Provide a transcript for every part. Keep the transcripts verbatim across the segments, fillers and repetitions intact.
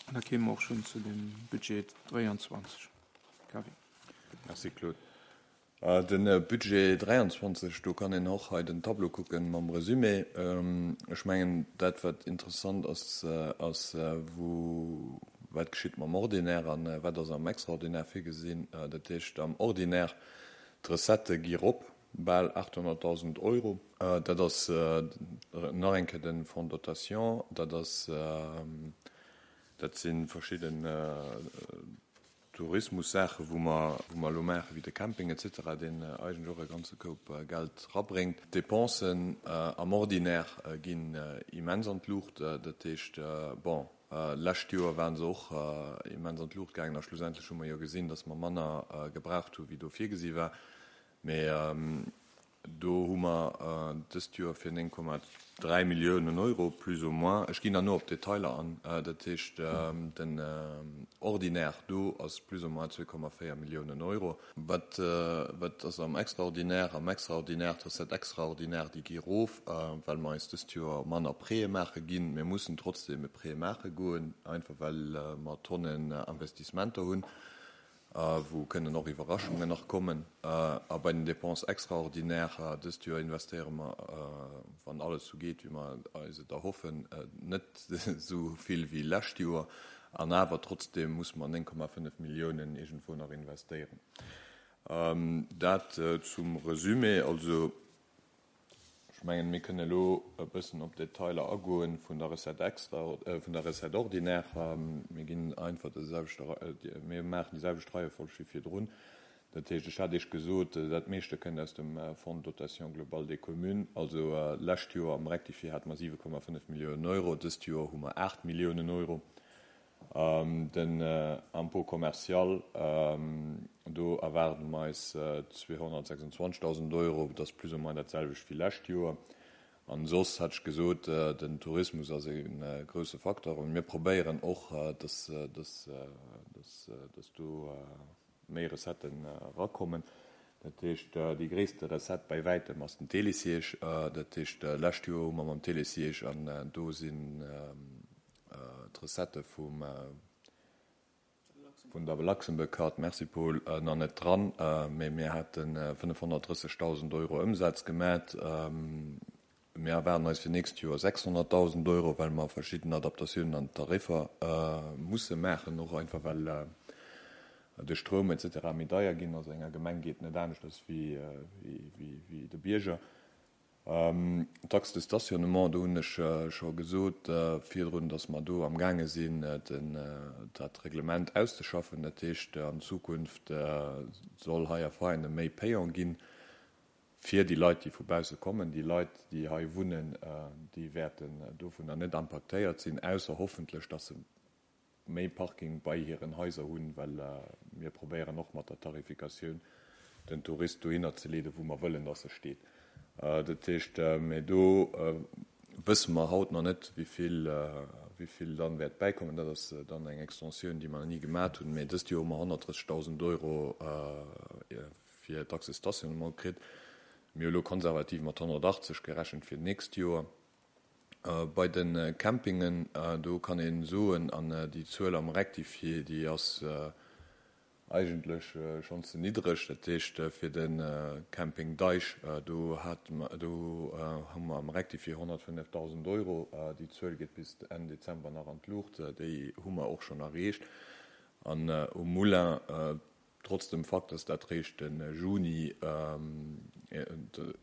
An da kéime mer och schonn zu dem Budget dräianzwanzeg. Kevin. Merci, Claude. De Budget dräianzwanzeg, do kann een och hei den Tableau kucken mam Resumé. Ech mengen, dat wat interessant ass, ass wou, wat geschitt mam Ordinaire an wat ass am Extraordinaire virgesinn. Dat heescht, am Ordinaire, d'Recettë gi rop, bal aathonnertdausend Euro. Dat ass nach eng Kéier de Fonds de dotation, dat ass, dat si verschidden Tourismussaache wou mer, wou mer elo maachen, wéi de Camping et cetera, deen eigentlech och e ganze Koup Geld rabréngt. D'Dépensen am Ordinaire ginn immens an d'Luucht. Dat heescht, bon, lescht Joer ware se och immens an d'Luucht gaangen a schlussendlech hu mer jo gesinn, datt mer manner gebraucht hu wéi do virgesi war. Mee do hu mer dëst Joer fir néng Komma dräi Milliounen Euro plus ou moins, ech ginn dann no op d'Detailer an, dat heescht den Ordinaire do ass plus ou moins zwee Komma véier Milliounen Euro. Wat wat ass am Extraordinaire? Am Extraordinaire, d'Recettes extraordinaires, déi gi erof, well mer eis dëst Joer manner Prêtë maache ginn. Mir mussen trotzdeem e Prêt maache goen, einfach well mer Tonnen Investissementer hunn, wou kënnen och Iwwerraschungen nach kommen. A bei den Dépenses extraordinaires, dëst Joer investéiere mer, wann alles esou geet, wéi mer eis et erhoffen, net esou vill wéi lescht Joer. An awer trotzdeem musse mer néng Komma fënnef Milliounen iergendwou nach investéieren. Dat zum Resumé. Also, ech mengen, mir kënnen elo e bëssen op d'Detailer agoen vun der Recette extra, vun der Recette ordinaire. Mir ginn einfach de selwechte, mir maachen déi selwecht Reiefolg wéi virdrun. Dat heescht, ech hat Iech gesot, dat meeschte kënnt aus dem Fonds de dotation globale des communes. Also lescht Joer am Rectifié hate mer siwe Komma fënnef Milliounen Euro, dëst Joer hu mer aacht Milliounen Euro. Den Impôt commercial, do erwaarde mer eis zweehonnertsechsundzwanzegdausend Euro, dat ass plus ou moins dat selwecht wéi lescht Joer. An soss hat ech gesot, den Tourismus ass e grousse Facteur. Mir probéieren och, dass do méi Recetten erakommen. Dat heescht, déi gréisste Recette bäi wäitem ass den Télésiège. Dat heescht, lescht Joer hu mer mam Télésiège, an do sinn d'Recettë vum vun der Luxembourg Card, merci Paul, nach net dran, mee mir hate fënnefhonnertdrëssegdausend Euro Ëmsaz gemat. Mir erwaarden eis fir d'nächst Joer sechshonnertdausend Euro, well mer verschidden Adaptatiounen an den Tariffer musse maachen, och einfach well de Stroum et cetera méi deier ginn ass. Enger Gemeng geet net aneschters wéi de Bierger. D'Taxe de stationnement, do hunn ech scho gesot virdrun, datt mer do amgaange sinn, dat Reglement auszeschaffen. Dat heescht, an Zukunft soll hei a Veianen méi payant ginn fir déi Leit, déi vu bausse kommen. Déi Leit, déi hei wunnen, déi wäerten dovunner net impaktéiert sinn, ausser hoffentlech, datt se méi Parking bei hiren Haiser hunn, well mir probéieren och mat der Tarifikatioun den Tourist dohinner ze leeden, wou mer wëllen, datt e steet. Dat heescht, mee do wësse mer haut nach net, wéi vill, wéi vill dann wäert bäikommen. Dat ass dann eng Extensioun, déi mer nach ni gemat hunn. Mee dëst Joer hu mer honnertdrëssegdausend Euro fir d'Taxe de stationnement kritt. Mir hu elo konservativ mat honnertachtzeg gerechent fir d'nächst Joer. Bei de Campingen, do kann ee soen, an déi Zuel am Rectifié, déi ass eigentlech schonn ze niddreg. Dat heescht, fir de Camping Deich, do hate mer, do hu mer am Rectifié honnertfënnefdausend Euro. Déi Zuel geet bis Enn Dezember nach an d'Luucht. Déi hu mer och schonn erreecht. An um Moulin, trotz dem Fakt, dass dat réischt de Juni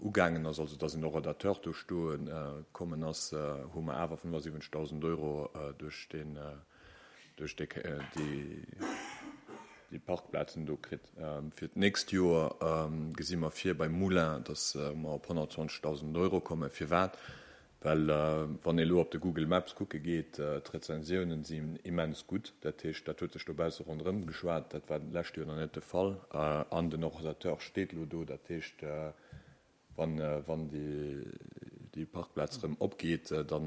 ugaangen ass, also dass en Horodateur do stoe kommen ass, hu mer awer fënnefasiwwenzegdausend Euro duerch deen, duerch déi, déi Parkplazen do kritt. Fir d'nächst Joer gesi mer vir beim Moulin, dass mer op honnertzwanzegdausend Euro kommen. Firwat? Well wann ee elo op de Google Maps kucke geet, d'Rezensiounen sinn immens gutt. Dat heescht, dat huet sech dobausse ronderëm geschwat. Dat war d'lescht Joer nach net de Fall. An den Horodateur steet elo do. Dat heescht, wann, wann déi, déi Parkplaz erëm opgeet, da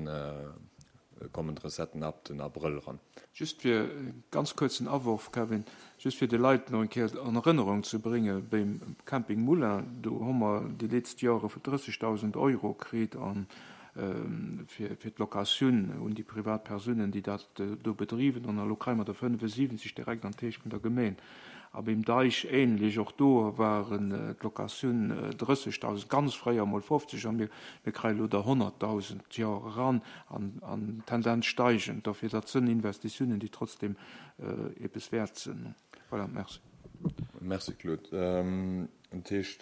kommen d'Recetten ab den Abrëll eran. Just fir e ganz kuerzen Aworf, Kevin, just fir de Leit nach eng Kéier an Erënnerung ze bréngen, Beim Camping Moulin, do hu mer déi letzt Jore drëssegdausend Euro kritt an fir fir d'Locatioun un déi privat Persounen, déi dat do bedriwen. An elo kréie mer der fënnefensiwwenzeg direkt an d'Täsch vun der Gemeen. A beim Deich ähnlech, och do waren d'Locatioun drëssegdausend, ganz fréier emol fofzeg, a mir mir kréie elo der honnertdausend d'Joer eran, an an Tendenz steigend. Dofir, dat sënn Investitiounen, déi trotzdem eppes wäert sinn. Voilà, merci. Merci Claude. Dat heescht,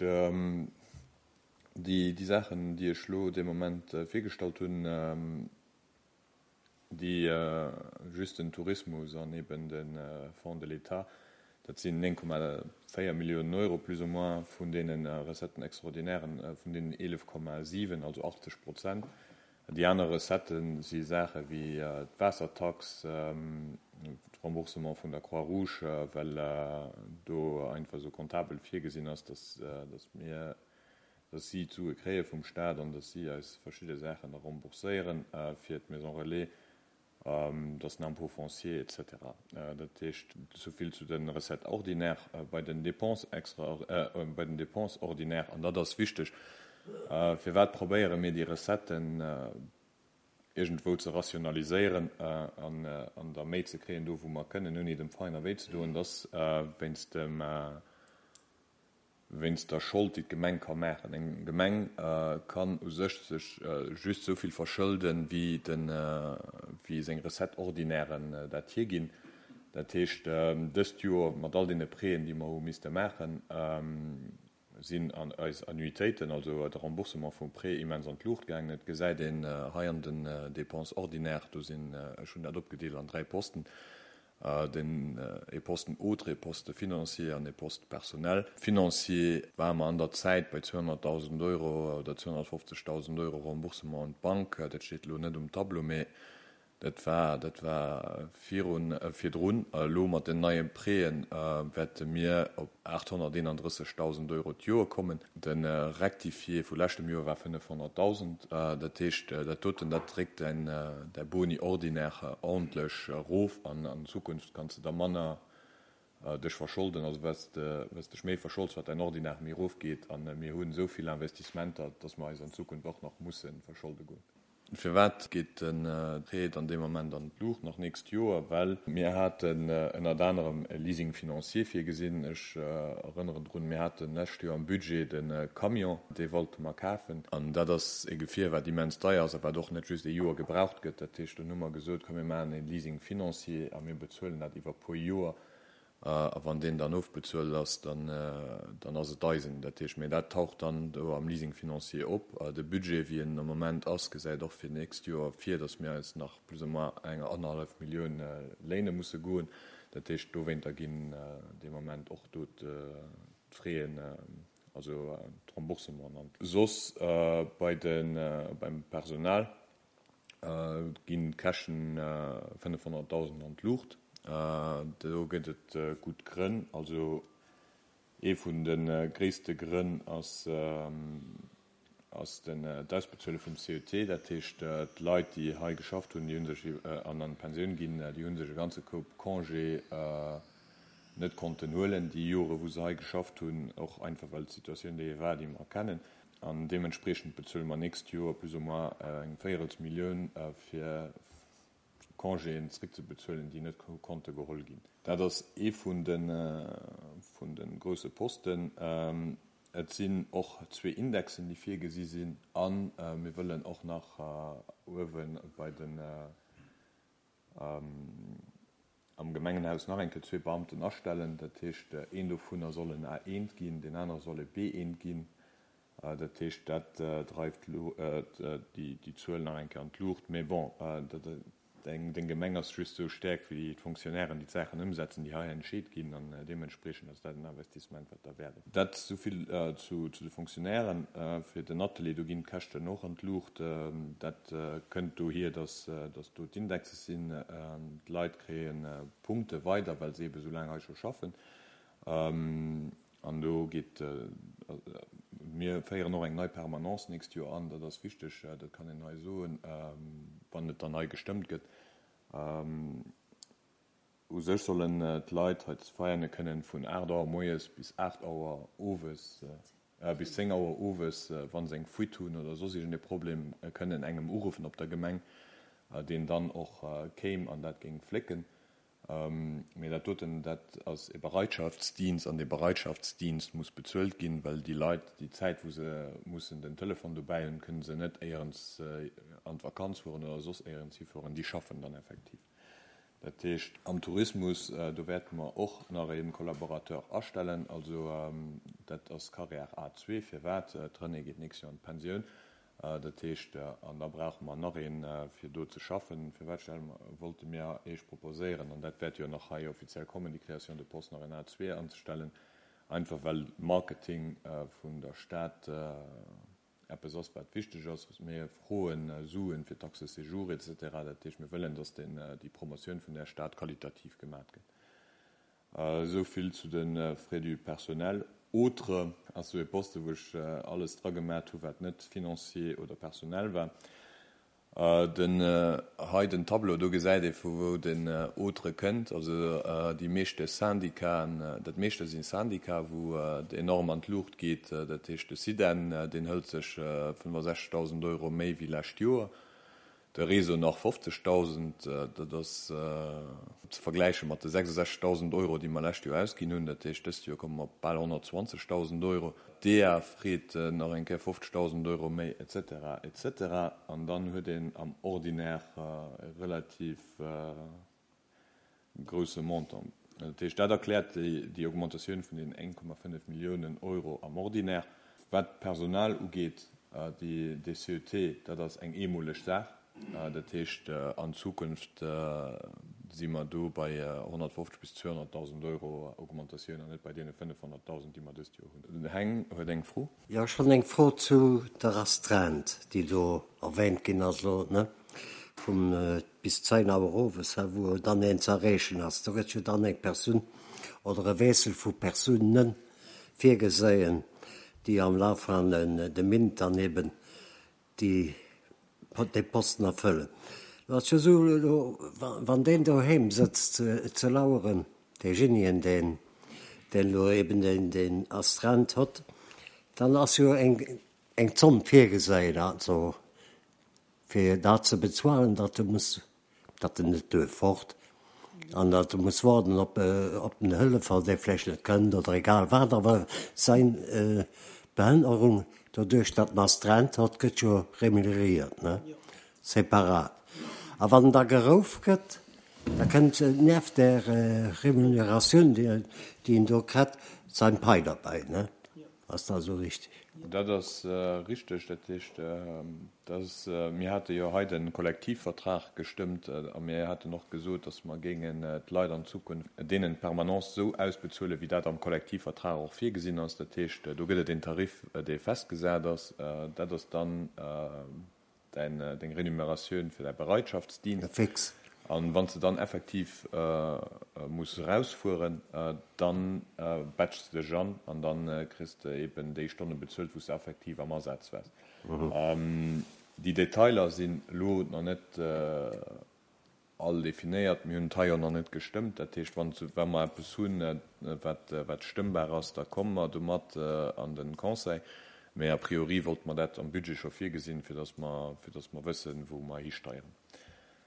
déi Saachen, déi ech elo dee Moment virgestallt hunn, déi just den Tourismus an eben de Fonds de l'État, dat sinn néng Komma véier Milliounen Euro plus ou moins vun deene Recetten extraordinairen, vun deenen eelef Komma siwen, also achtzeg Prozent. Déi aner Recettë si Saache wéi d'Waassertax, d'Remboursement vun der Croix-Rouge, well do einfach esou comptabel virgesinn ass, dass mir, dass si d'Sue kréie vum Staat an dass si eis verschidde Saachen da rembourséieren fir d'Maison Relais, dass den Impôt foncier et cetera. Dat heescht, souvill zu de Recettes ordinaires. Bei den Dépenses extra, bei den Dépenses ordinaires, an dat ass wichteg, firwat probéiere mir déi Recetten iergendwou ze rationaliséieren an der méi ze kréien do wou mer kënnen, ouni dem Veräiner wéi ze doen, dass wéinst dem, wéinst der Schold, déi d'Gemeng ka maachen. Eng Gemeng kann u sech sech just esou vill verschëlden, wéi den, wéi seng Recettes ordinairen dat hierginn. Dat heescht, dëst Joer mat all deene Prêten, déi mer hu misste maachen, sinn eis Annuitéiten, also de Remboursement vum Prêt, immens an d'Luucht gaangen. Et gesäit een hei an den Dépenses ordinaires, do sinn, ech hunn dat opgedeelt an dräi Posten, den ee Posten autres, ee Poste financier an ee Poste personnel. Financier ware mer an der Zäit bei zweehonnertdausend Euro oder zweehonnertfofzegdausend Euro Remboursement un d'Bank. Dat steet elo net um Tableau, mee dat war, dat war virun, virdrun. Elo mat den neie Prêten wäerte mir op aathonnerteenandrëssegdausend Euro d'Joer kommen. De Rectifié vu leschtem Joer war fënnefhonnertdausend. Dat heescht, dat doten, dat dréckt däin, däi Boni ordinaire ordentlech erof an an Zukunft kanns de da manner dech verscholden. Also wat s de, wat s dech méi verscholds, wat däin Ordinaire méi erofgeet. A mir hunn esou vill Investissementer, dass mer eis an Zukunft och nach musse verscholde goen. Firwat geet de Prêt dann dee Moment an d'Luucht nach nächst Joer? Well mir haten ënnert anerem e Leasing financier virgesinn. Ech erënneren drun, mir haten lescht Joer am Budget de Camion, dee wollte mer kafen. An dat ass e Gefier, wat immens deier ass a wat och net just ee Joer gebraucht gëtt. Dat heescht, dunn hu mer gesot, komm mir maachen e Leasing financier a mir bezuelen dat iwwer e puer Joer. A wann deen dann ofbezuelt ass, dann dann ass et eisen. Dat heescht, mee dat taucht dann do am Leasing financier op. De Budget, wéi en am Moment ass, gesäit och fir d'nächst Joer vir, datt mir eis nach plus ou moins eng annerhallef Millioun léine musse goen. Dat heescht, dowéinter ginn dee Moment och do d'Fraisen, also d'Remboursementen an. Soss bei de beim Personal ginn d'Käschten fënnefhonnertdausend an d'Luucht. Do gëtt et gutt Grënn. Also ee vun de gréisste Grënn ass ass den d'Ausbezuele vum C E T. Dat heescht, d'Leit, déi hei geschafft hunn, déi hu sech an an d'Pensioun ginn, déi hu sech e ganze Koup Congé net konnten huelen, déi Jore wou se hei geschafft hunn, och einfach well d'Situatioun déi war, déi mer kennen. An deementspriechend bezuele mer nächst Joer plus ou moins eng Véierelsmillioun fir Congéen zréckzebezuelen, déi net konnte geholl ginn. Dat ass ee vun de vun de grousse Posten. Et sinn och zwee Indexen, déi virgesi sinn, a mir wëllen och nach uewe bei den am Gemengenhaus nach eng Kéier zwee Beamten astellen. Dat heescht, een dovunner soll en A eent ginn, deen anere soll e B eent ginn. Dat heescht, dat dreift déi Zuel nach eng Kéier an d'Luucht. Mee bon, deng Gemeng ass just esou staark wéi d'Fonctionnairen, déi d'Saachen ëmsetzen, déi hei entscheet ginn. An deementspriechend ass dat en Investissement, wat derwäert ass. Dat esouvill zu de Fonctionnairen. Fir den Atelier, do ginn d'Käschten och an d'Luucht. Dat kënnt dohier, dass do d'Indexes sinn. D'Leit kréie Punkte weider, well se eebe sou laang hei scho schaffen. An do geet, mir féieren och eng nei Permanence nächst Joer an. Dat ass wichteg, dat kann een hei soen, wann et dann hei gestëmmt gëtt. U sech sollen d'Leit hei zu Veianen kënnen vun aacht Auer moies bis aacht Auer owes, bis zéng Auer owes, wa se eng Fuite hunn oder soss iergend e Problem, kënnen engem uruffen op der Gemeng, deen dann och kéim an dat géing flécken. Mee dat doten, dat ass e Bereitschaftsdienst an dee Bereitschaftsdienst muss bezuelt ginn, well déi Leit, déi Zäit wou se mussen den Telefon dobäi hunn, kënne se net éierens an d'Vakanz fueren oder soss éierens hifueren, déi schaffen dann effektiv. Dat heescht, am Tourismus, do wäerte mer och nach e Collaborateur astellen, also dat ass Carrière A zwee. Firwat? D'Renée geet d'nächst Joer an d'Pensioun. Dat heescht, an da brauche mer nach een, fir do ze schaffen. Firwat stelle mer, wollte mir Iech proposéieren, an dat wäert jo nach hei offiziell kommen, déi Création de poste nach en A zwee anzestellen, einfach well Marketing vun der Stad eppes ass, wat wichteg ass. Mir froen Suen fir d'Taxe séjour et cetera. Dat heescht, mir wëllen, dass déi Promotioun vun där Stad qualitativ gemat gëtt. Esou vill zu de Frais du personnel. Autre ass esou e Poste, wou ech alles dra gemat hu wat net financier oder personnel war. Den hei den Tableau, do gesäit ee vu wou den Autre kënnt. Also déi meeschte Syndicaten, dat meeschte si Syndicat, wou et enorm an d'Luucht geet. Dat heescht de SIDEN, deen hëlt sech fënnefasechzegdausend Euro méi wéi lescht Joer. De Réseau nach fofzegdausend, dat ass ze vergläiche mat de sechsundsechzegdausend Euro, déi mer lescht Joer ausginn hunn. Dat heescht, dëst Joer komme mer op bal honnertzwanzegdausend Euro. D'D E A freet nach eng Kéier fofzegdausend Euro méi, et cetera, et cetera. An dann huet een am Ordinaire e relativ grousse Montant. Dat heescht, dat erkläert déi Augmentatioun vun den een Komma fënnef Milliounen Euro am Ordinaire. Wat d'Personal ugeet, déi C E T, dat ass eng eemoleg Saach. Dat heescht, an Zukunft si mer do bei honnertfofzeg bis zweehonnertdausend Euro Augmentatioun an net bei deene fënnefhonnertdausend, déi mer dëst Joer hunn. Den Heng huet eng Fro. Jo, ech hunn eng Fro zu der Astreinte, déi do erwähnt ginn ass elo, ne, vum bis zéin Auer owes, wou dann een ze erreechen ass. Do gëtt jo dann eng Persoun oder e Wiessel vu Persounen virgeséien, déi am Laf van de Méint dann eben déi dee Posten erfëllen. Lo ass jo esou, elo wann deen doheem sëtzt ze laueren, deejenien, deen deen elo eben deen deen Astreinte hott, dann ass jo eng eng Zomm virgeséien, also fir dat ze bezuelen, datt e muss, datt en net duerf fort an datt e muss waarden op op den Hëllefer, dee vläicht net kënnt oder egal wat, awer säin Behënnerung, doduerch datt en Astreinte hott, gëtt jo remuneréiert, ne, separat. A wann da gerouf gëtt, da kënnt nieft der Remuneratioun, déi déi en do kritt, säin Pai derbäi, ne? Ass dat esou richtig? Dat ass richteg. Dat heescht, dass mir hate jo hei de Kollektivvertrag gestëmmt a mir haten och gesot, dass mer géingen d'Leit an Zukunft deenen d'Permanence esou ausbezuelen, wéi dat am Kollektivvertrag och virgesinn ass. Dat heescht, do gëtt et een Tarif, dee festgesat ass. Dat ass dann däin, deng Remuneratioun fir däi Bereitschaftsdienst. Fix. An wann s de dann effektiv muss erausfueren, dann batchs de dech an an dann kriss de eben déi Stonne bezuelt, wou s de effektiv am Asaz waars. Déi Detailer sinn elo nach net all definéiert. Mir hunn et hei och nach net gestëmmt. Dat heescht, wann wa mer eppes hunn, wat wat stëmmbar ass, da komme mer domat an de Conseil. Mee a priori wollte mer dat am Budget scho virgesinn, fir datt mer, fir datt mer wëssen, wou mer histeieren.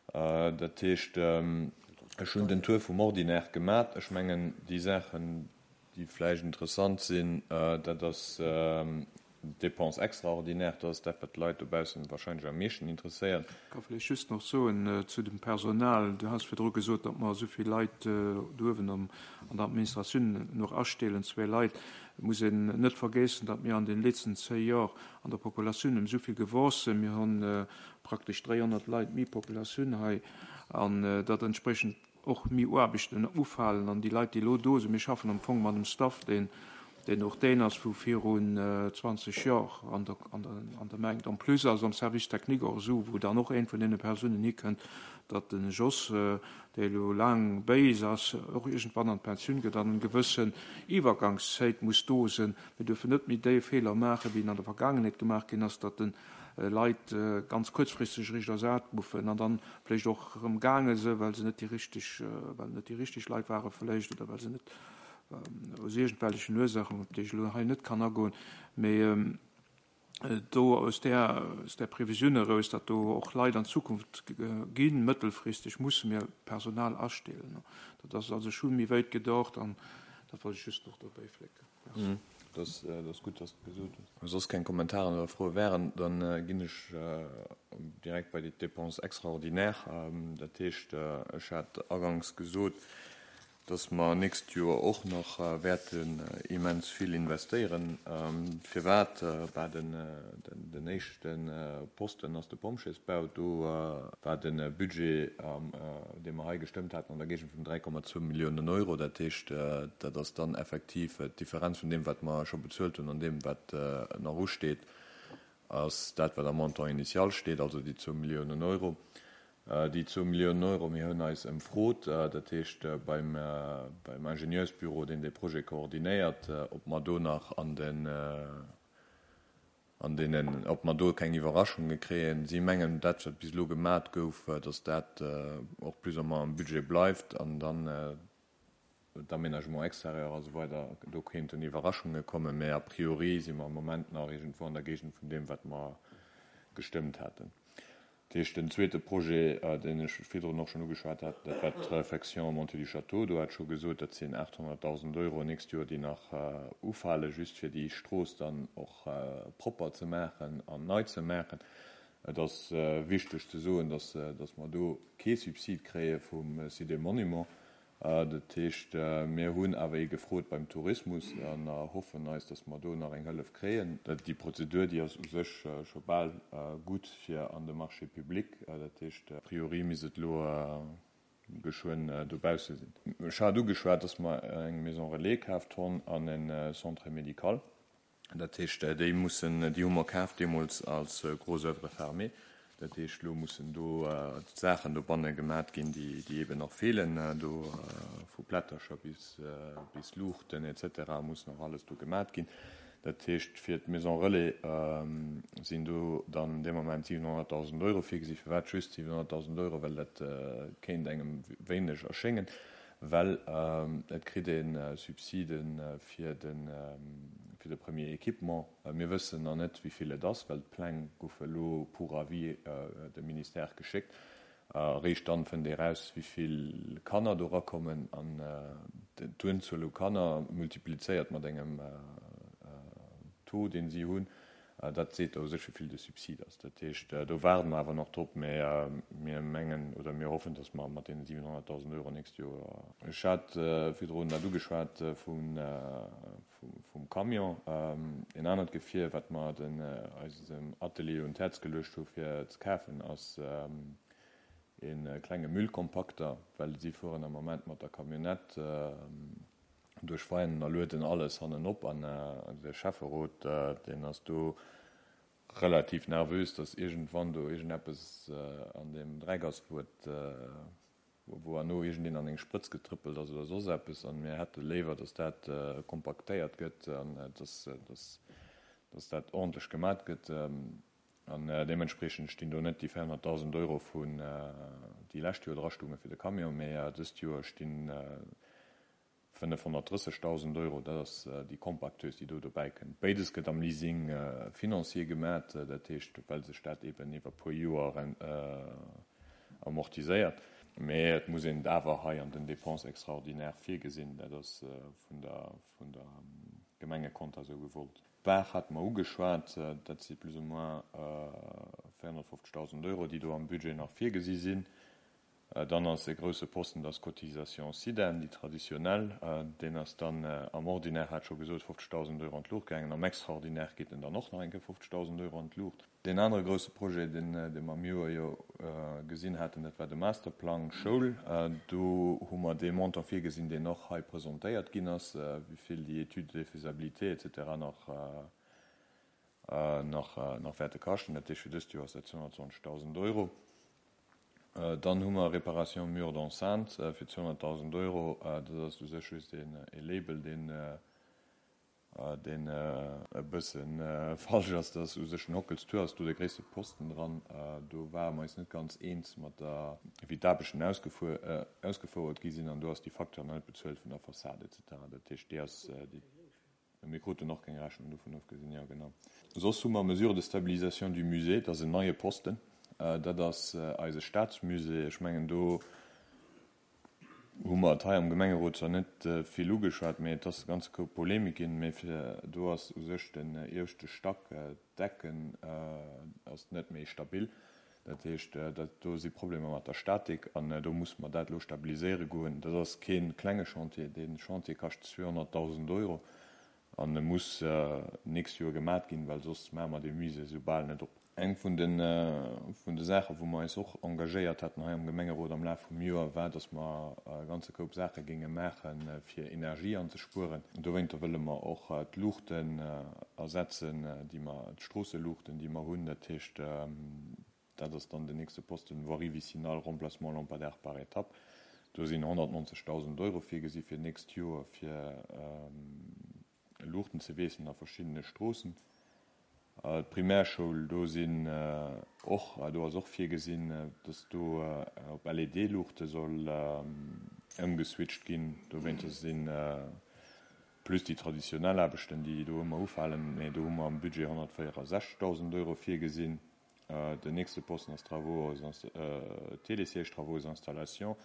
Dat heescht, ech hunn den Tour vum Ordinaire gemat. Ech mengen, déi Saachen, déi vläicht interessant sinn, dat ass d'Dépenses extraordinaires, dat ass dat, wat d'Leit dobaussen wahrscheinlech am meeschten interesséiert. Ech ka vläicht just nach soen zu dem Personal, Du has virdru gesot, datt mer esou vill Leit do uewen an der Administratioun nach astellen, zwee Leit. Et muss een net vergéissen, datt mir an den letzten zéi Jor an der Populatioun ëm esou vill gewuess sinn. Mir hunn praktesch dräihonnert Leit méi Populatioun hei an datt entsprechend och méi Aarbechten ufalen. An déi Leit, déi elo do sinn, mir schaffen am Fong mat einem Staff, deen deen och deen ass vu virun zwanzeg Jor an der, an der, an der Meng. En plus ass am Service technique och esou, wou dann och een vun deene Persounen hikënnt, datt den Jos, dee elo laang béis ass, och iergendwann an d'Pensioun gëtt an eng gewëssen Iwwergangszäit muss do sinn. Mir dürfen net méi déi Feeler maachen, wéi en an der Vergaangenheet gemaach ginn ass, datt den Leit ganz kuerzfristeg eréischt ersat goufen an dann vläicht och erëm gaange sinn, well se net déi richteg, well net déi richteg Leit ware vläicht oder well se net Aus iergendwellechen Ursachen, op déi ech elo hei net kann agoen, mee do aus där, aus där Previsioun eraus, datt do och Leit an Zukunft ginn, mëttelfristeg musse mir Personal astellen. Dat ass also scho méi wéit gedacht an dat wollt ech just nach dobäi flécken. Merci. Dat ass gutt, dass de et gesot hues. Wa soss keng Kommentaren oder Froe wären, da ginn ech direkt bei déi Dépenses extraordinaires. Dat heescht, ech hat aganks gesot, dass mer nächst Joer och nach wäerten immens vill investéieren. Firwat? Bah, den éischte Posten ass de Pompjeesbau. Do war de Budget, dee mer hei gestëmmt haten, an der Géigend vun dräi Komma zwou Milliounen Euro. Dat heescht, dat ass dann effektiv d'Differenz vun deem, wat mer scho bezuelt hunn, an deem, wat nach usteet, ass dat, wat am Montant initial steet, also déi zwou Milliounen Euro. Déi zwou Milliounen Euro, mir hunn eis ëmfrot, dat heescht beim Ingenieursbüro, deen dee Projet koordinéiert, ob mer do nach an den, an deenen, ob mer do keng Iwwerraschunge kréien. Si mengen, dat wat bis elo gemat gouf, datt dat och plus ou moins am Budget bleift an dann d'Aménagement extérieur a sou weider, do kéinten Iwwerraschunge kommen, mä a priori si mer am Moment nach iergendwou an der Géigend vun deem, wat mer gestëmmt haten. Dat heescht, den zweete Projet, deen ech virdrun och schonn ugeschwat hat, dat war d'Réfection Montée du Château. Do hat ech scho gesot, dat sinn aathonnertdausend Euro nächst Joer, déi nach ufalen, just fir déi Strooss dann och propper ze maachen an nei ze maachen. Et ass wichteg ze soen, dass mer do kee Subsid kréie vum Site des Monuments. Dat heescht, mir hunn awer ee gefrot beim Tourismus an erhoffen eis, dass mer do nach eng Hëllef kréien. Déi Prozedur, déi ass u sech scho bal gutt fir an de Marché public. Dat heescht, a priori misst et elo geschwënn dobausse sinn. Ech hat ugeschwat, dass mer eng Maison relais kaaft honn an e Centre médical. Dat heescht, déi mussen, déi hu mer kaaft deemools als gros oeuvre fermée. Dat heescht, elo mussen do d'Saachen dobanne gemat ginn, déi, déi eeben nach feelen. Do vu Plättercher bis, bis Luuchten et cetera muss nach alles do gemat ginn. Dat heescht, fir d'Maison relais sinn do dann dee Moment siwenhonnertdausend Euro virgesi. Firwat just siwenhonnertdausend Euro? Well dat kéint engem wéineg erschéngen, well et kritt ee Subside fir de, fir de premier Équipement. Mir wëssen nach net, wéi vill et ass, well d'Pläng goufe elo pour avis dem Ministère geschéckt. Eréischt dann fënnt ee raus, wéi vill Kanner do erakommen. An d'Unzuel u Kanner multiplizéiert mat engem Taux, deen si hunn, dat seet da u sech, wéi vill de Subsid ass. Dat heescht, do waarde mer awer nach drop, mä mir mengen oder mir hoffen, datt mer mat deene siwenhonnertdausend Euro nächst Joer. Ech hat virdrun dat ugeschwat vum Camion, en anert Gefier, wat mer den eisem Atelier un d'Häerz geluecht hu fir ze kafen, ass e klenge Müllkompakter, well si fueren am Moment mat der Camionnette duerch Veianen a lueden alles hannen op. An de Schäfferot, deen ass do relativ nervös, datt iergendwann do iergendeppes an deem Dreck ass, wou et, wou herno iergendeen an eng Sprëtz getrëppelt ass oder soss eppes. An mir hätte léiwer, datt dat kompaktéiert gëtt an datt, datt dat ordentlech gemat gëtt. An deementspreechend stinn do net déi véierhonnertdausend Euro vun déi lescht Joer drastounge fir de Camion, mä dëst Joer stinn fënnefhonnertdrëssegdausend Euro, dat ass déi Compacteuse, déi do dobäi kënnt. Béides gëtt am Leasing financier gemat, dat heescht, well sech dat eeben iwwer e puer Joer amortiséiert. Mä et muss een et awer hei an den Dépenses extraordinaires virgesinn, dat ass vun der, vun der Gemengekonta esou gewollt. D'Baach hate mer ugeschwat, dat si plus ou moins véierhonnertfofzegdausend Euro, déi do am Budget nach virgesi sinn. Dann ass e grousse Posten, dat ass d'Cotisation SIDEN, déi traditionell. Deen ass dann am Ordinaire, hat ech scho gesot, fofzegdausend Euro an d'Luucht gaangen. Am Extraordinaire geet en dann och nach eng Kéier fofzegdausend Euro an d'Luucht. Deen anere grousse Projet, deen mer am Joer jo gesinn haten, dat war de Masterplang Schoul. Do hu mer dee Montant virgesinn, deen och hei presentéiert ginn ass, wéi vill déi Études de faisabilité et cetera nach nach wäerte kaschten. Dat heescht, fir dëst Joer ass dat zweehonnertzwanzegdausend Euro. Dann hu mer Réparation mur d'enceinte fir zweehonnertdausend Euro. Dat ass u sech just e Label, deen deen e bësse falsch ass, dass u sech den Hockelstour ass do de gréisste Posten dran. Do ware mer eis net ganz eens mat der, wéi d'Aarbechten ausgefouert gi sinn an do ass déi Facture nach net bezuelt vun der Fassade et cetera. Dat heescht, déi ass, déi, mir kruten och keng Rechnung dovun ofgesinn, jo genau. Soss hu mer Mesures de stabilisation du musée, dat ass en neie Posten, dat ass eise Staatsmusée. Ech mengen do hu mer et hei am Gemengerot zwar net vill ugeschwat, mee et ass e ganze Koup Polemik ginn, mee fir do ass u sech den ieweschte Stack, d'Decken ass net méi stabil. Dat heescht, dat do si Problemer mat der Statik an do musse mer dat elo stabiliséiere goen. Dat ass kee klenge Chantier, dee Chantier kascht zweehonnertdausend Euro an e muss d'nächst Joer gemat ginn, well soss maache mer dee Musée esou bal net op. Eng vun de vun de Saachen, wou mer eis och engagéiert haten hei am Gemengerot am Laf vum Joer, war, dass mer e ganze Koup Saache géinge maache fir Energie anzespueren. Dowéinter wëlle mer och d'Luuchten ersetzen, déi mer, d'Stroosseluuchten, déi mer hunn. Dat heescht, dat ass dann den nächste Posten, Voirie vicinale, remplacement lampadaires par étape. Do sinn honnertnonzegdausend Euro virgesi fir d'nächst Joer, fir Luuchten ze wiesselen a verschiddene Stroossen. D'Primärschoul, do sinn och, do ass och virgesinn, dass do op L E D-Luuchte soll ëmgeswitcht ginn. Dowéinter si plus déi traditionell Aarbechten, déi do ëmmer ufalen, mee do hu mer am Budget honnertvéierundsechzegdausend Euro virgesinn. Den nächste Posten ass Travaux, Télésiège, Travaux et installations.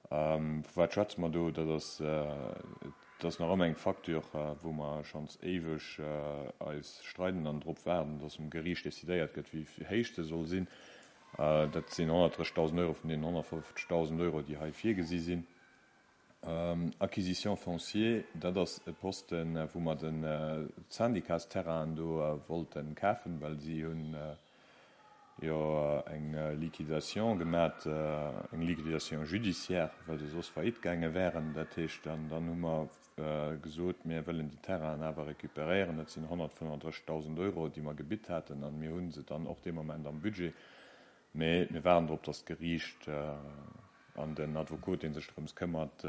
Vu wat schwätze mer do? Dat ass, dat ass nach ëmmer eng Facture, wou mer schonns éiweg eis streiden an drop waarden, dass um Geriicht decidéiert gëtt, wéi héich se soll sinn. Dat sinn honnertdrëssigdausend Euro vun deenen honnertfofzegdausend Euro, déi hei virgesi sinn. Acquisition foncière, dat ass e Posten, wou mer den Syndicatsterrainen do wollte kafen, well si hunn jo eng Liquidation gemat, eng Liquidation judiciaire, well se soss faillite gaange wären. Dat heescht, an dann hu mer gesot, mir wëllen déi Terrainen awer récupéréieren. Dat sinn honnertfënnefundrëssigdausend Euro, déi mer gebitt haten, an mir hu se dann och dee Moment am Budget. Mee mir waarden drop, datt d'Geriicht an den Advokot, dee sech drëms këmmert,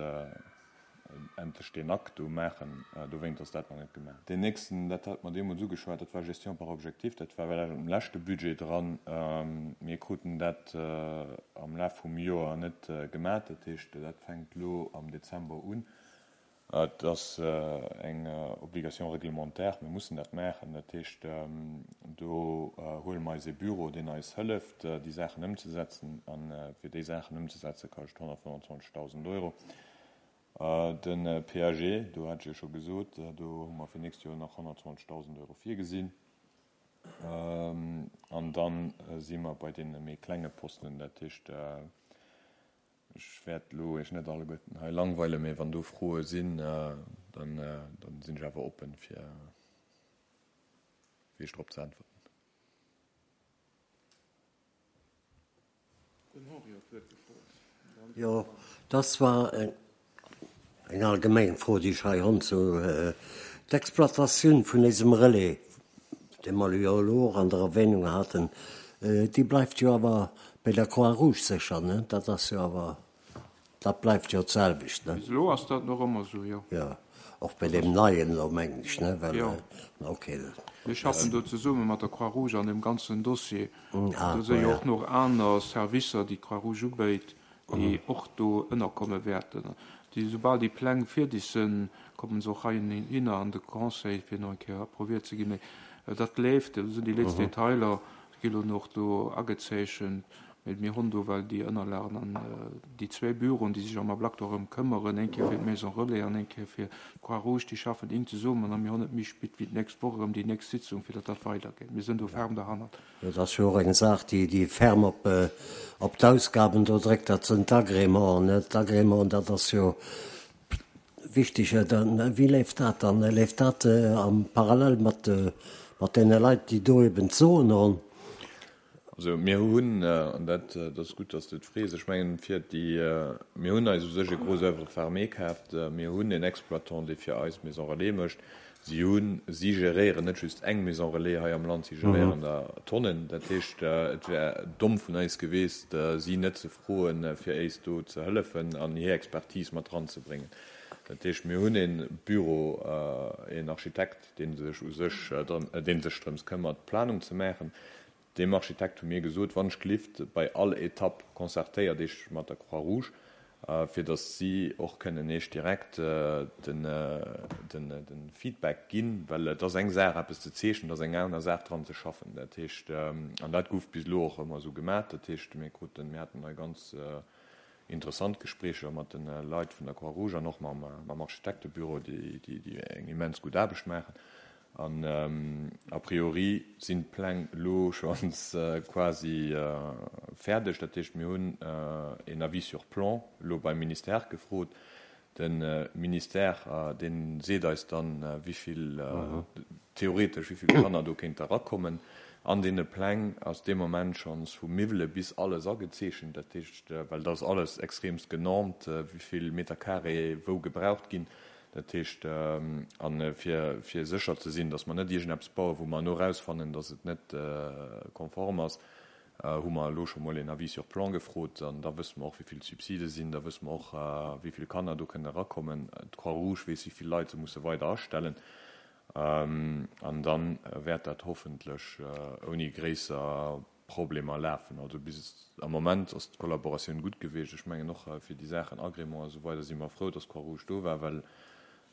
endlech deen Akt do maachen. Dowéint ass dat nach net gemaach. Deen nächsten, dat hat mer deemools ugeschwat, dat war Gestion par objectif. Dat war well am leschte Budget dran. Mir kruten dat am Laf vum Joer net gemaach. Dat heescht, dat fänkt elo am Dezember un. Et ass eng Obligation réglementaire, mir mussen dat maachen. Dat heescht, do huele mer eis ee Büro, deen eis hëlleft, déi Saachen ëmzesetzen. A fir déi Saachen ëmzesetze kascht honnertfënnfundzwanzegdausend Euro. De P A G, do hat ech jo scho gesot, do hu mer fir nächst Joer nach honnertzwanzegdausend Euro virgesinn. An da si mer bei deene méi klenge Posten. Dat heescht, ech wäert elo Iech net alleguerten hei langweilen, mee wann do Froe sinn, dann dann sinn ech awer oppen, fir fir Iech drop ze äntwerten. Den Henri huet d'Wuert gefrot. Jo, das war eng allgemeng Fro, déi ech hei hunn zu d'Exploitatioun vun diesem Relais, dee mer jo elo och an der Erwähnung haten, déi bleift jo awer bei der Croix-Rouge sécher, ne? Dat ass jo awer, dat bleift jo d'selwecht, ne? Bis elo ass dat nach ëmmer esou, jo. Jo, och bei deem neien elo, mengen ech, ne? Well, Jo. Okay. Mir schaffen do zesumme mat der Croix-Rouge an deem ganzen Dossier. Ah, Do si jo ja. och nach aner Servicer, déi d'Croix-Rouge ubéit, déi och do ënnerkomme wäerten. Déi, soubal déi Pläng fierdeg sinn, kommen se och heihinner an de Conseil, fir nach eng Kéier approuviert ze ginn. Mee dat leeft, do sinn déi letzten Detailer, gi elo nach do agezeechent. Mee mir hunn do well déi Ënnerlagen an déi zwee Büroen, déi sech am Ablack dorëm këmmeren, eng Kéier fir d'Maison Relais an eng Kéier fir d'Croix-Rouge, déi schaffen enk zesummen a mir hunn net méi spit wéi d'nächst Woch erëm déi nächst Sitzung, fir datt dat weidergeet. Mir sinn do ferm derhannert. Dat ass jo och eng Saach, déi déi ferm op op d'Ausgaben do dréckt, dat sinn d'Agrémenten, ne? D'Agrémenten, dat ass jo wichteg. Dann, wéi leeft dat dann? Leeft dat am Parallel mat mat deene Leit, déi do eben d'Soen hunn? Also mir hunn, an dat dat ass gutt, datt s de et frees, ech mengen fir déi, mir hunn eis u sech e gros œuvre fermé kaaft. Mir hunn en Exploitant, dee fir eis Maison Relais mécht. Si hunn, si geréieren net just eng Maison relais hei am Land, si geréieren der Tonnen. Dat heescht, et wär domm vun eis geweest, si net ze froen, fir éis do ze hëllefen an hir Expertise mat eranzebréngen. Dat heescht, mir hunn e Büro, een Architekt, dee sech u sech, dee sech drëms këmmert, d'Planung ze maachen. Deem Architekt hu mir gesot, Wann ech gelift, bei all Etapp concertéiert Iech mat der Croix-Rouge, fir datt si och kënnen Iech direkt de Feedback ginn, well et ass eng Saach eppes ze zeechnen, et ass eng aner Saach dran ze schaffen. Dat heescht, an dat gouf bis elo och ëmmer esou gemaach, dat heescht, mir kruten, mir haten hei ganz interessant Gespréicher mat de Leit vun der Croix-Rouge an och mam Architektebüro, déi eng immens gutt Aarbecht maachen. An a priori sinn d'Pläng elo schonns quasi fäerdeg. Dat heescht, mir hunn een Avis sur plan elo beim Ministère gefrot. De Ministère, dee seet eis dann, wéi vill, theoretesch, wéi vill Kanner do kéinte erakommen. An deene Pläng ass dee Moment schonns vu Miwwele bis alles agezeechent. Dat heescht, well dat ass alles extremst genormt, wéi vill Meter carré wou gebraucht ginn. Dat heescht, a fir, fir sécher ze sinn, datt mer net iergendeppes bauen, wou mer elo erausfannen, datt et net konform ass, hu mer elo scho mol een Avis sur plan gefrot. An da wësse mer och, wéi vill d'Subside sinn, da wësse mer och, wéi vill Kanner do kënnen erakommen. D'Croix-Rouge weess, wéi vill Leit se musse weider astellen. An da wäert dat hoffentlech ouni gréisser Problemer lafen. Also bis am Moment ass d'Kollaboratioun gutt gewiescht. Ech mengen och fir déi Saachen Agrément a sou weider si mer frou, datt d'Croix-Rouge do war, well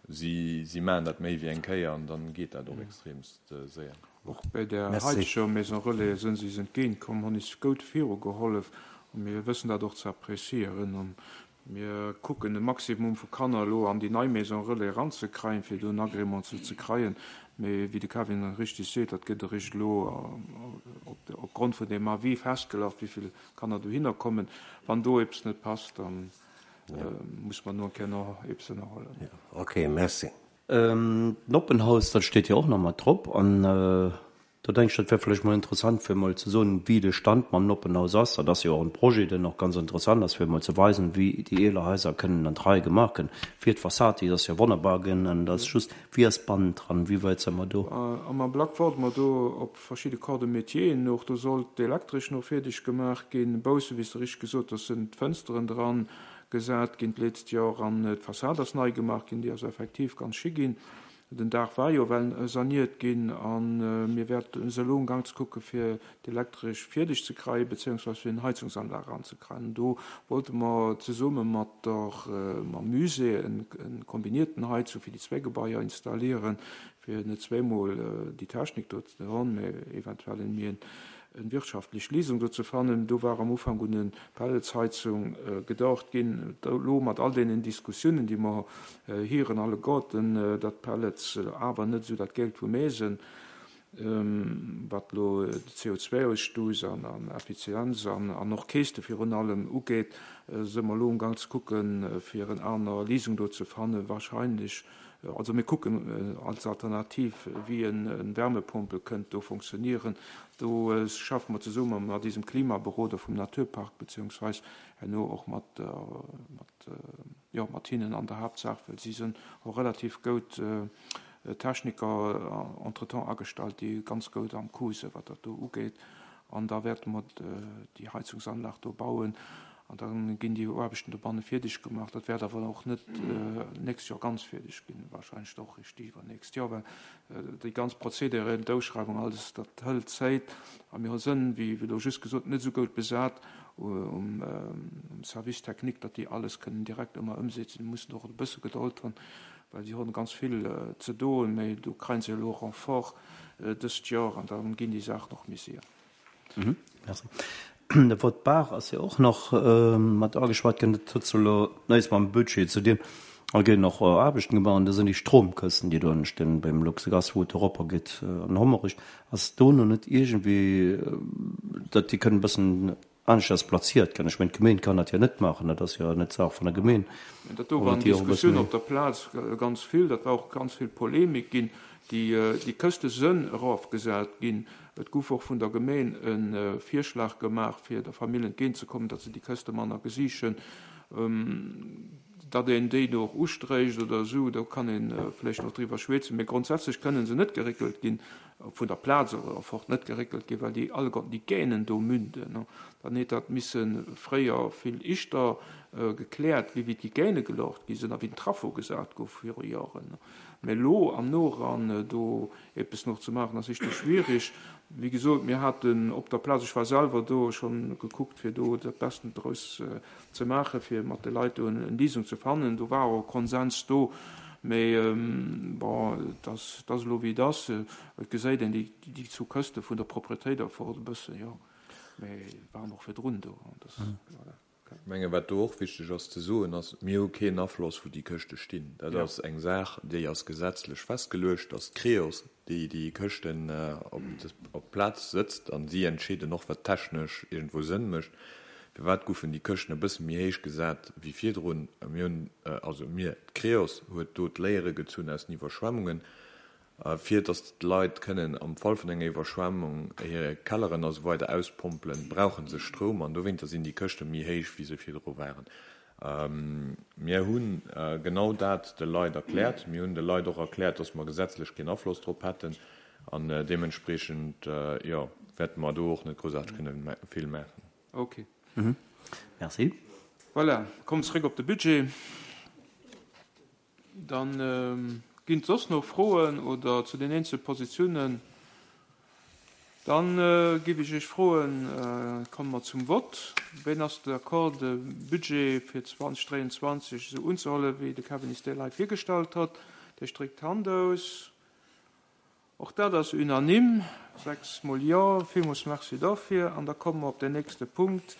si si maachen dat méi wéi eng Kéier an dann geet dat och extremst séier. Och bei der haiteger Maison Relais sënn si eis entgéint komm, hunn is goud viru gehollef a mir wëssen dat och ze apprécieren. An mir kucken e Maximum vu Kanner elo an déi nei Maison Relais eranzekreien, fir do en Agrément ze ze kreien. Mee wéi de Kevin richtig seet, dat gëtt eréischt elo opgrond vun deem Avis festgelagt, wéi vill Kanner dohinner kommen. Wann do eppes net passt, dann muss mer no eng Kéier nach eppes ënnerhuelen. Ok, merci. D'Noppenhaus, dat steet jo och nach mat drop. An do denke ech, dat wär vläicht mol interessant, fir mol ze soen, wéi de Stand mam Noppenhaus ass. Dat ass jo och en Projet, deen och ganz interessant ass, fir mol ze weisen, wéi déi eeler Haiser kënnen an d'Rei gemaach ginn. Fir d'Fassad, déi ass jo wonnerbar ginn. An dat ass just, wéi ass bannendran, wéi wäit si mer do? Am Ablack waarde mer do op verschidde Corps de métieren och. Do soll d'Elektresch no fierdeg gemaach ginn. Bausse, wéi s de richteg gesot hues, sinn d'Fënsteren dran gesat ginn d'letzt Joer an d'Fassad ass nei gemaach ginn, déi ass effektiv ganz schi ginn. Den Daach war jo well saniert ginn a mir wäerten se elo amgang ze kucke fir d'Elektresch fierdeg ze kreien, beziehungsweise fir en Heizungsanlag eranzekreien. Do wollte mer zesumme mat der, mam Musée en kombinierten Heizung fir déi zwee Gebaier installieren, fir net zweemol déi Technik do ze hunn, mä eventuell en méi en wirtschaftlech Léisung do ze fannen. Do war am Ufank un en Pelletsheizung gedacht ginn. Elo mat all deenen Diskussiounen, déi mer hieren alleguerten, datt Pellets awer net esou dat Geld vum Ee sinn, wat elo de C O zwei Ausstouss an Effizienz an och Käschte virun allem ugeet, si mer elo amgang ze kucken, fir en aner Léisung do ze fannen. Wahrscheinlech, also mir kucken als Alternativ, wéi en Wärmepompel kënnt do funktionieren. Do schaffe mer zesumme mat diesem Klimaberoder vum Naturpark, beziehungsweise herno och mat, mat, jo, mat hinnen an der Haaptsaach, well si sinn och relativ goud Techniker entretemps agestallt, déi ganz goud am Coup sinn, wat dat do ugeet. An da wäerte mer déi Heizungsanlag do bauen. An da ginn déi Aarbechten dobanne fierdeg gemaach. Dat wäert awer och net nächst Joer ganz fierdeg ginn, wahrscheinlech och eréischt iwwernächst Joer, well déi ganz Prozederen, d'Ausschreiwung, alles, dat hëlt Zäit. A mir sënn, wéi elo just gesot, net esou goud besat um Service technique, datt déi alles kënnen direkt ëmmer ëmsetzen. Déi mussen och e bësse Gedold hunn, well si hunn ganz vill ze doen, mä do kréien se elo Renfort dëst Joer an da ginn déi Saachen och méi séier. Merci. De Wort Bar ass jo och nach mat ageschwat ginn. Dat huet elo näischt mam Budget ze dinn. A ginn och Aarbechten gemaach an do sinn déi Stromkësten, déi do entstinn beim Luxegas, wou et eropper geet an Hommerich. Ass do nach net iergendwéi, datt déi kënnen e bëssen aneschters plaziert ginn? Ech mengen, d'Gemeen kann dat jo net maachen, dat ass jo net d'Saach vun der Gemeen. Dat do waren Diskussioune op der Plaz ganz vill, dat war och ganz vill Polemik ginn. Déi Këste sënn erofgesat ginn. Et gouf och vun der Gemeen e Virschlag gemaach, fir der Famill entgéintzekommen, datt se déi Këste manner gesichen. Datt een déi do och ustréicht oder esou, do kann ee vläicht nach driwwer schwätzen, mee grondsätzlech kënnen se net geréckelt ginn, vun der Plaz erfort net geréckelt ginn, well déi alleguerten déi Gänen do münden. Dann hätt dat misse fréier vill ischter gekläert ginn, wéi déi Gäne gelocht gi sinn a wéi den Traffo gesat gouf viru Joren. Mä elo am Noran do eppes nach ze maachen, ass ischter schwierig. Wéi gesot, mir haten op der Plaz, ech war selwer do, schonn gekuckt, fir do dat Besten draus ze maachen, fir mat de Leit do eng Léisung ze fannen. Do war och e Konsens do, mä bon, et ass elo wéi et ass. Et geséit een déi zwou Këste vun der Propretéit erfort e bëssen, jo, mä waren och virdrun do. Voilà. Ech mengen, wat do och wichteg ass ze soen, ass, Mir hu keen Afloss, wou déi Këschte stinn. Dat ass eng Saach, déi ass gesetzlech festgeluecht, dass d'Creos, déi déi Këschten op d'Plaz sëtzt, a si entscheeden och, wat technesch iergendwou Sënn mécht. Firwat goufen déi Këschten e bësse méi héich gesat wéi virdrun? Mir hunn, also mir, d'Creos huet do d'Léiere gezunn aus den Iwwerschwemmungen. Fir dass d'Leit kënnen am Fall vun enger Iwwerschwemmung hir Kelleren a sou weider auspompelen, brauche se Stroum an dowéinter sinn déi Këschte méi héich, wéi se virdru waren. Mir hu genau dat de Leit erkläert. Mir hunn de Leit och erkläert, dass mer gesetzlech keen Afloss drop hätten an deementspreechend, jo, wäerte mer do och net groussaarteg kënne vill maachen. Ok. Merci. Voilà, kommen zréck op de Budget. Dann ginn et soss nach Froen oder zu den eenzele Positiounen? Dann géif ech Iech froen, komme mer zum Vott. Ween ass d'accord, de Budget fir zweitausenddräiundzwanzeg esou unzehuelen, wéi de Kevin Istel hei virgestallt huet? Dir stréckt d'Hand aus. Och dat ass unanime, sechs mol Jo. Villmools Merci dofir. An da komme mer op den nächste Punkt.